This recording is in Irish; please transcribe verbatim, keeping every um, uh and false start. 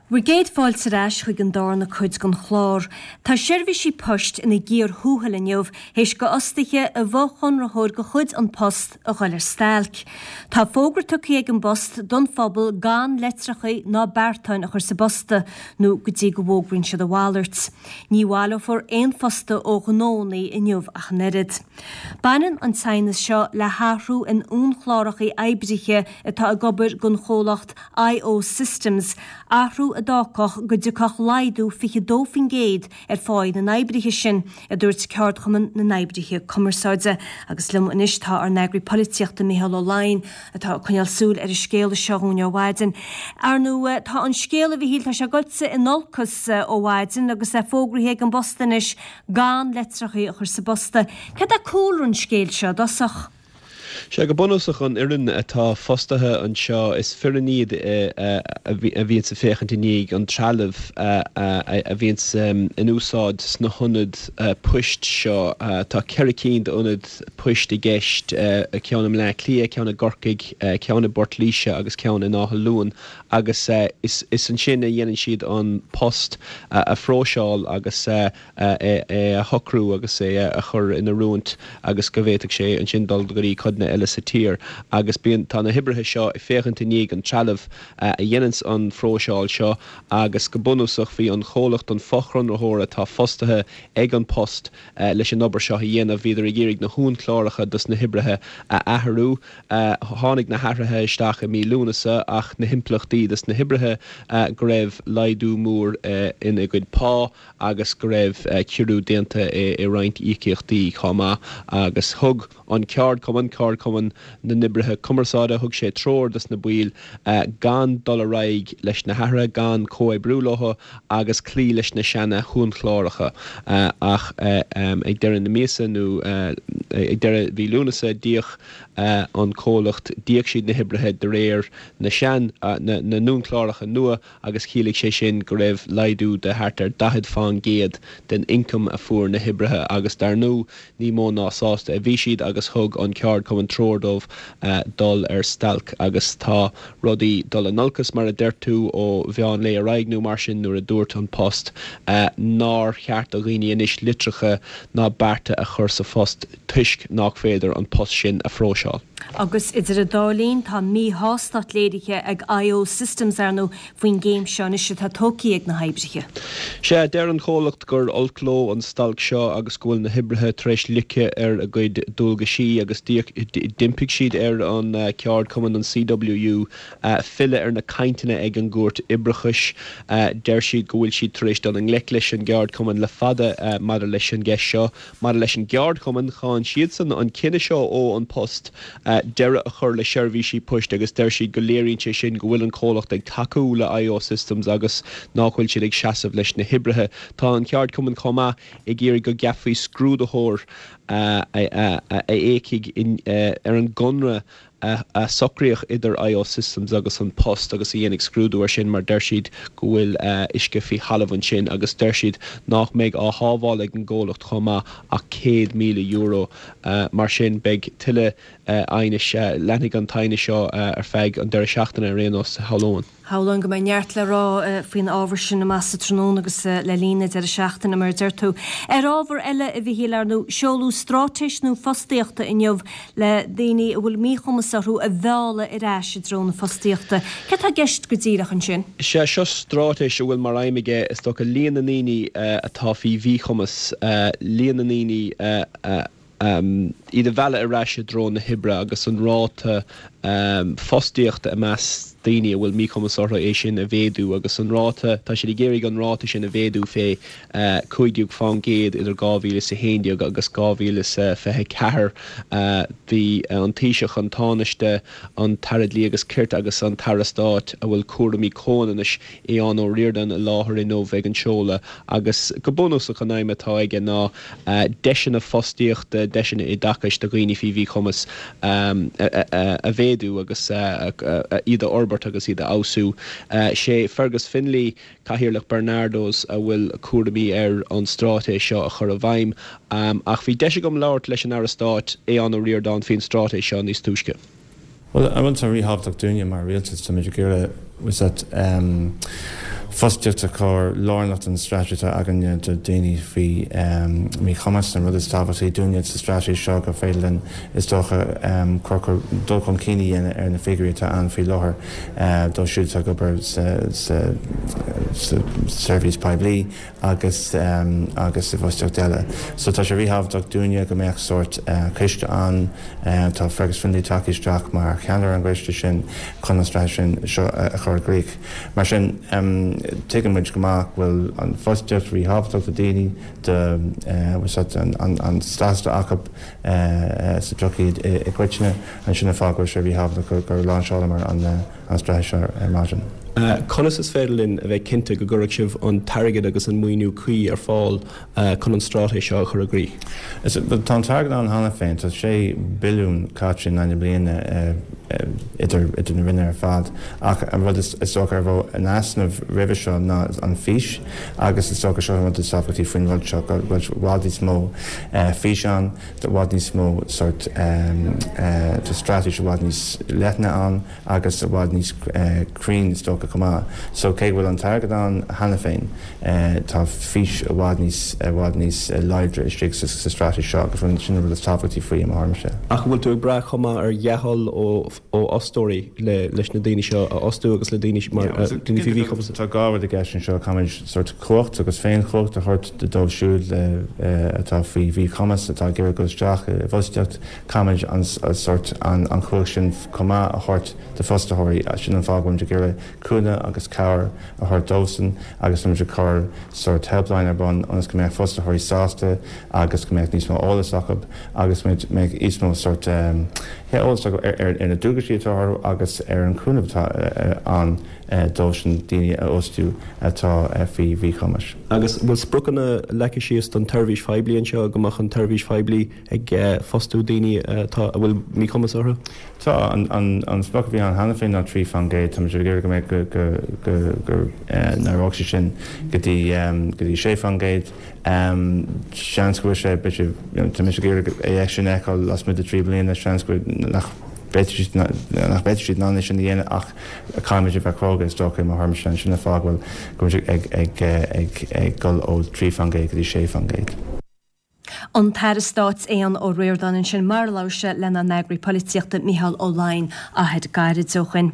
Bhur gcéad fáilte ar ais chuig an darna cuid den chlár. Tá seirbhísí poist ina gcíor thuathail inniu théis go fhostaithe i bhfochonraitheoir de chuid An Post a dhul ar stailc. Tá fógra tugtha ag an bPost don phobal gan litreacha ná beartáin a chur sa bposta nó go dtí go bhfógraíonn siad a mhalairt. Ní bhaileofar aon phost ó ghnónna inniu ach an oiread. Baineann an t-aighneas seo le hathrú in uainchlárthacha oibrithe atá ag obair don chomhlacht IO Systems, athrú a d'fhágfadh go dtiocfadh laghdú fiche dó faoin gcéad ar pháí na n-oibrithe sin, a dúirt Ceardchumann na nOibrithe Cumarsáide. Agus liom anois tá ár n-eagraí polaitíochta Micheál Ó Laighin atá ag coinneáil súil ar an scéal seo dhúinn ó mhaidin. Ar ndóigh tá an scéal a Mhichíl tá sé gaibhte in olcas ó mhaidin agus é fógraithe ag an bPost anois gan litreacha a chur sa bposta. Cad é cúlra an scéil seo i dtosach? Sea, go bunúsach an fhoireann atá fostaithe anseo, is foireann iad a bhíonns ag féachaint i ndiaidh an trealamh a bhíonns in úsáid sna hionaid poist seo. Tá ceithre cinn d'ionaid poist i gceist, ceann i mBleá Cliath, ceann i gCorcaigh, ceann i bPort Laoise agus ceann in Áth Luain agus is ansin a dhéanann siad an post a phróiseáil agus é a shocrú agus é a chur in oiriúint agus go bhféadfadh sé ansin dul go dtí codanna eile sa tír agus bíonn, tá na hoibrithe seo ag féachaint i ndiaidh an trealamh a dhéananns an phróiseáil seo agus go bunúsach bhí an chomhlacht, an fochonraitheoir atá fostaithe ag An Post leis an obair seo a dhéanamh, bhíodar ag iarraidh na huainchlárthacha dos na hoibrithe a athrú. Tháinig na hathruithe isteach i mí Lúnasa ach na himpleachtaí dos na hoibrithe go raibh laghdú mór ina gcuid pá agus go raibh ciorrú déanta i roinnt íocaíochtaí chomh maith agus thug an ceardchumann, Ceardchumann na nOibrithe Cumarsáide, thug sé treoir dos na baill gan dul ar aghaidh leis na hathruithe, gan comhoibriú leo agus cloí leis na seana huainchlárthacha ach ag deireadh na míosa nó ag deireadh mhí Lúnasa d'íoc an comhlacht, d'íoc siad na hoibrithe de réir na sean, na n-uainchlárthacha nua agus chiallaigh sé sin go raibh laghdú de thart ar daichead fán gcéad den ioncam a fuair na hoibrithe agus dar ndóigh ní mó ná sásta a bhí siad agus thug an ceardchumann treoir dóibh dul ar stailc agus tá rudaí dul in olcas mar a deir tú ó mheán lae ar aghaidh nó mar sin nuair a dúirt An Post nár cheart do dhaoine anois litreacha ná bearta a chur sa phost toisc nách féidir an post sin a phróiseáil. Agus idir an dá linn, tá míshástacht léirithe ag IO Systems, ar ndóigh, faoin gcéim seo anois atá tógtha ag na hoibrithe. Sea, deir an chomhlacht gur olc leo an stailc seo agus go bhfuil na hoibrithe tar éis loiceadh ar a gcuid dualgaisí agus d'impigh siad ar an cheardchumann, an CWU, filleadh ar na cainteanna ag an gCúirt Oibreachais. Deir siad go bhfuil siad tar éis dul i ngleic leis an gceardchumann le fada maidir leis an gceist seo. Maidir leis an gceardchumann, cháin siadsan an cinneadh seo ó An Post deireadh a chur le seirbhísí poist agus deir siad go léiríonn sé sin go bhfuil an comhlacht ag tacú le IO Systems agus nach bhfuil siad ag seasamh leis na hoibrithe. Tá an ceardchumann chomh maith ag iarraidh go gceapfaí scrúdaitheoir a fhéachfaidh ar an gconradh a socraíodh idir IO Systems agus An Post agus a dhéanfaidh scrúdú air sin mar deir siad go bhfuil uisce faoi thalamh ansin agus deir siad nach mbeidh á shábháil ag an gcomhlacht chomh maith ach céad míle euro. Mar sin beidh tuilleadh aighnis, leanfaidh an t-aighneas seo ar feadh an deireadh seachtaine ar aon nós, shamhlóinn. Shamhlóinn go mbeidh neart le rá faoin ábhar sin amach sa tráthnóna agus le linn an deireadh seachtaine, mar a deir tú. Ar ábhar eile, a Mhichíl, ar ndóigh, seoladh straitéis nua fostaíochta inniu le daoine a bhfuil míchumas orthu a mhealladh ar ais i dtreo na fostaíochta. Céard atá i gceist go díreach ansin? Sea, seo straitéis a bhfuil mar aidhm aige, is dócha, líon na ndaoine atá faoi mhíchumas, líon na ndaoine a. iad a mhealladh ar ais i dtreo na hoibre agus an ráta fostaíochta i measc daoine a bhfuil míchumas orthu, é sin a mhéadú agus an ráta, tá siad ag iarraidh an ráta sin a mhéadú fé cúig déag fán gcéad idir dhá mhíle is a haon déag agus dhá mhíle is a fiche a ceathair. Bhí an Taoiseach, an Tánaiste, an tAire Dlí agus Cirt agus an tAire Stáit a bhfuil cúraimí comhionannais, Aodhán Ó Ríordáin, i láthair inniu ag an seoladh agus go bunúsach an aidhm atá aige ná deiseanna fostaíochta, deiseanna oideachais do dhaoine faoi mhíchumas a mhéadú agus iad a fhorbairt agus iad a fheabhsú. Sé Fergus Finlay, Cathaoirleach Barnardos a bhfuil cúraimí air an straitéis seo a chur i bhfeidhm ach bhí deis agam labhairt leis an Aire Stáit, Aodhán Ó Ríordáin faoin straitéis seo níos túisce. Bhuel, an rud atá ríthábhachtach dúinne mar rialtas, táimid ag iarraidh, is that fostaíocht a chur lárnach don straitéis atá againne do daoine faoi míchumas. An rud is tábhachtaí dúinne sa straitéis seo gur féidir linn is dócha cur dul chun cinn a dhéanamh ar na figiúirí atá ann faoi láthair dóibh siúd atá ag obair sa seirbhís poiblí agus agus i bhfostaíocht eile. So tá sé ríthábhachtach dúinne go mbeadh sórt coiste ann, tá Fergus Finlay tagtha isteach mar cheannaire an gcoiste sin chun an straitéis sin seo a chur i gcrích. Mar sin, tuigeann muid go maith go bhfuil an fostaíocht ríthábhachtach do daoine, do an stádas atá acu sa tsochaí i gcoitinne, and sin an fáth go bhfuil sé ríthábhachtach gur láinseálamar an straitéis seo ar maidin. Conas is féidir linn a bheith cinnte go gcuirfidh sibh an t-airgead agus an maoiniú cuí ar fáil chun an straitéis seo a chur i gcrích? Tá an t-airgead ann cheana féin, tá sé billiún caite in aghaidh na bliana idir idir na ranna ar fad ach an rud is dócha a raibh in easnamh roimhe seo ná an fís agus is dócha seo an rud is tábhachtaí faoin rud seo go bhfuil i bhfad níos mó fís ann, i bhfad níos mó sórt tá straitéis i bhfad níos leithne ann agus i bhfad níos cruinne is dócha chomh maith. So cé go bhfuil an t-airgead ann cheana féin tá fís i bhfad níos i bhfad níos láidre istigh sa straitéis seo agus sin an rud is tábhachtaí faoi i mo thuairimse. Ach an bhfuil tú ag brath chomh maith ar dhea-thoil ó ó fhostóirí le leis na daoine seo a fhostú agus le daoine mar daoine faoi mhíchumas? Tá dhá rud i gceist anseo, caithfimid sórt cumhacht agus féinchumhacht a thabhairt dóibh siúd atá faoi mhíchumas atá ag iarraidh dul isteach i bhfostaíocht, caithfimid an sórt an chumhacht sin chomh maith a thabhairt do fhostaitheoirí. Sin an fáth go bhfuilimid ag iarraidh cúnamh agus cabhair a thabhairt dóibhsean agus táimid ag cur sórt helpline ar bun ionas go mbeadh fostaitheoirí sásta agus go mbeadh níos mó eolas acu agus go mbeadh níos mó sórt eolas acu ar na dualgaisí atá orthu agus ar an chúnamh atá ann dóibhsean daoine a fhostú atá faoi mhíchumas. Agus bhfuil spriocanna leagtha síos don tseirbhís phoiblí anseo go mbeadh an tseirbhís phoiblí ag fostú daoine atá a bhfuil míchumas orthu? Tá an sprioc a bhí ann cheana féin ná trí faoin gcéad. Táimid ag iarraidh go mbeadh go go go n-éireodh sé sin go dtí go dtí sé faoin gcéad. Seans go bhfuil sé b'fhéidir tá mise ag iarraidh é sin a fheiceáil lasmuigh de trí bliana, seans go nach bhféadfaidh nach bhféadfaidh siad in ann é sin a dhéanamh ach caithfimid a bheith cróga is dócha i mo thuairimse sin an fáth go bhfuil go bhfuil ag ag ag ag dul ó trí faoin gcéad go dtí sé faoin gcéad. An tAire Stáit Aodhán Ó Ríordáin ansin mar a labhair sé lenár n-eagraí polaitíochta Mícheál Ó Laighin achar gairid ó shin.